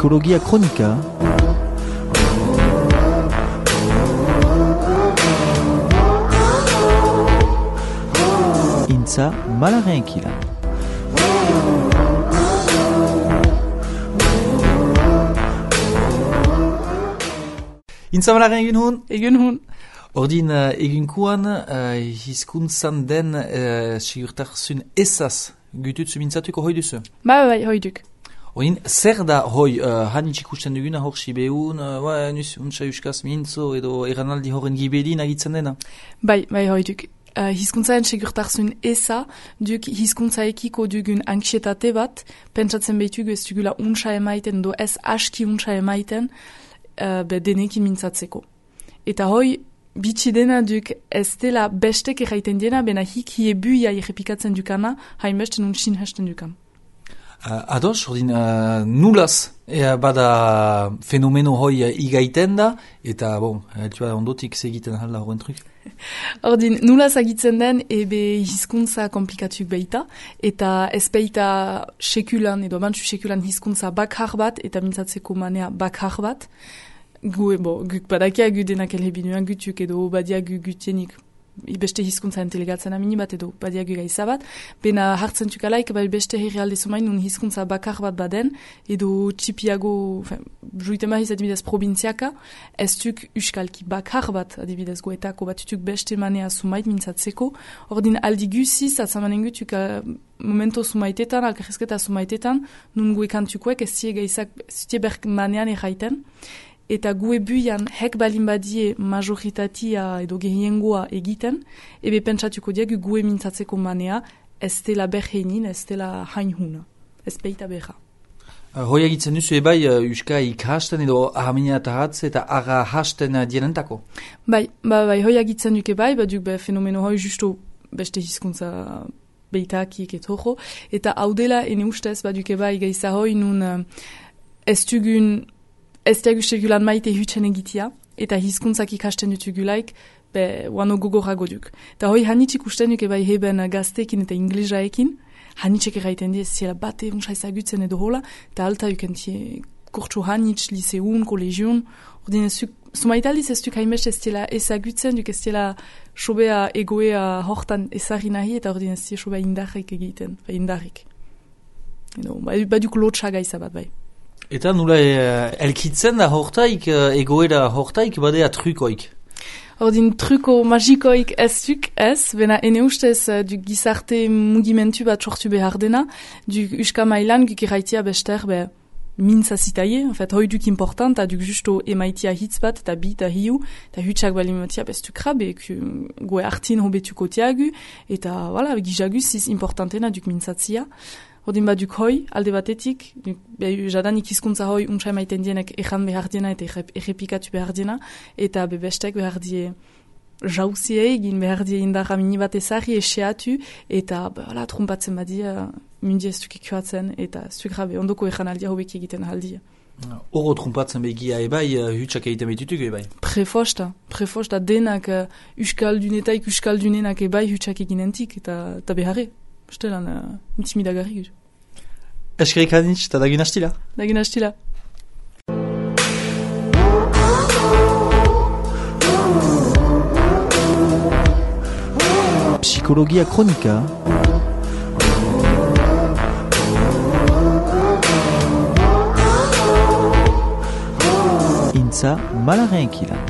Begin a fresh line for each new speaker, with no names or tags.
Psikologia kronika. Intza malaren kilan. Intza malaren egun hun?
Egun hun.
Ordin egunkuan hizkuntzan den sigurtasun ezaz gututzu mintzatuko hoi duzu?
Bai, hoiduk.
Ordin, zer da hoi hanitz ikusten duguna hor sibeun, untsa euskaz mintzo edo eranaldi horren gibelin agitzen dena?
Bai, hoiduk. Hizkuntzaren segurtasun eza, duk hizkuntzaekiko dugun anxietate bat, pentsatzen behitugu ez dugula untsa emaiten, do ez aski untsa emaiten, denekin mintzatzeko. Eta hoi, bitxi dena duk ez dela bestek erraiten dena, bena hik hiebuia errepikatzen dukana, hainbeste nun sinhesten dukan.
Ados, ordin, nulaz bada fenomeno hoi igaiten da, eta ondotik segiten halda horren truk.
Ordin, nulaz agitzen den, ebe hizkuntza komplikatuk behita, eta ez behita sekulan, edo bantzu sekulan hizkuntza bakhar bat, eta mintzatzeko manea bakhar bat. Guk badakia gu denak elhebinuan gutuk, edo badia gu gutienik beste hizkuntza entelegatzen amini bat, edo badia gu gaiza bat. Bena hartzen tukalaik, beste herrialde zumain, nun hizkuntza bakhar bat baden, edo txipiago, juiten mahiz adibidez probintziaka, ez tuk uskalki bakhar bat, adibidez goetako bat tuk beste manea sumait mintzatzeko. Ordin aldi guziz, atzamanen gutuk momento sumaitetan, alkarrezketa sumaitetan, nun goekantukoek ez zie gaizak, zutie berk manean erraiten, eta gue buian hek balin badie majoritatia edo gehiengoa egiten, ebe pentsatuko diagu gue mintzatzeko manea, ez dela berheinin, ez dela hainhuna, ez peita berra.
Hoi egitzen duzu ebai euska ikasten edo ahamina eta hatz eta ara hasten dienentako?
Bai, hoi egitzen duke bai, baduk fenomeno hoi justo beste hizkuntza beitakik etojo, eta hau dela ene ustez baduke bai gaiza hoi nun ez dugun ez diagus segulan maite hutzen egitia, eta hizkuntzak ikasten dutugulaik, wano gogorago duk. Eta hoi hanitzik usten duk ebai heben gaztekin eta inglesaekin, hanitzek erraiten die, ziela bate untsa ezagutzen edo hola, eta alta ukentie kurtsu hanitz, liseun, kolegion, ordin sumaitaldiz ez duk hainbest ez ziela ezagutzen, duk ez ziela sobea egoea hortan ezagri nahi, eta ordin ez ziela sobea indarrik egiten, indarrik. Baduk lotxa gaiza bat bai.
Eta nula elkitzen da hortaik, egoera hortaik, badea trukoik?
Ordin truko magikoik ez duk ez, bena ene ustez du gizarte mugimentu bat sortu behar dena, du uska mailan guk iraitia bester mintza zitaie, en fait, hoi duk important, duk justo emaitia hitz bat, eta bi eta hiu, eta hutsak balimatia bestu krabe, goe hartin hobetuko tiagu, eta voilà, gizaguz ziz importantena duk mintzatzia. Ordin baduk hoi, alde batetik, jadanik hizkuntza hoi untsa emaiten dienek ejan behar diena eta errepikatu behar diena, eta bestek behar die jauzie egin behar die indarra mini bat ezari eseatu, eta trumpatzen badia mundi ez duk ikuatzen, eta ez duk grabe, ondoko ejan aldia hobek egiten aldia.
Oro trumpatzen begia ebai, hutsak egiten behitutuk ebai?
Prefosta denak uskaldunetaik uskaldunenak ebai hutsak eginentik, eta beharre. Stelan intimidagarri guz.
Eskerik hanitz, eta dagin hastila?
Dagin hastila.
Psikologia kronika. Intza malaren kilan.